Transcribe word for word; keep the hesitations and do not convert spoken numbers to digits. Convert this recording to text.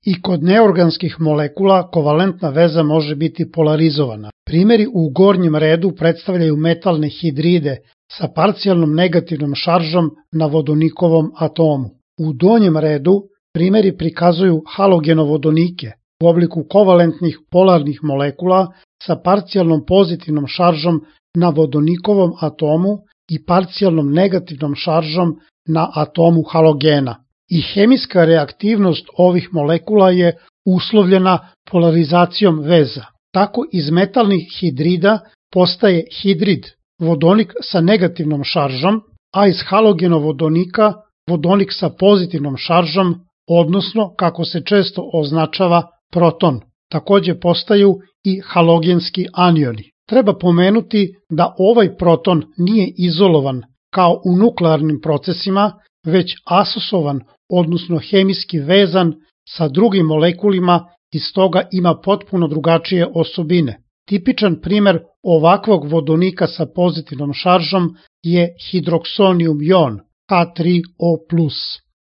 I kod neorganskih molekula kovalentna veza može biti polarizovana. Primjeri u gornjem redu predstavljaju metalne hidride sa parcijalnom negativnom šaržom na vodonikovom atomu. U donjem redu primjeri prikazuju halogenovodonike u obliku kovalentnih polarnih molekula sa parcijalnom pozitivnom šaržom na vodonikovom atomu i parcijalnom negativnom šaržom na atomu halogena. I hemijska reaktivnost ovih molekula je uslovljena polarizacijom veza. Tako iz metalnih hidrida postaje hidrid, vodonik sa negativnom šaržom, a iz halogenovodonika vodonik sa pozitivnom šaržom, odnosno, kako se često označava, proton. Takođe postaju i halogenski anioni. Treba pomenuti da ovaj proton nije izolovan kao u nuklearnim procesima, već asosovan, odnosno hemijski vezan sa drugim molekulima i stoga ima potpuno drugačije osobine. Tipičan primer ovakvog vodonika sa pozitivnom šaržom je hidroksonijum jon H tri O plus.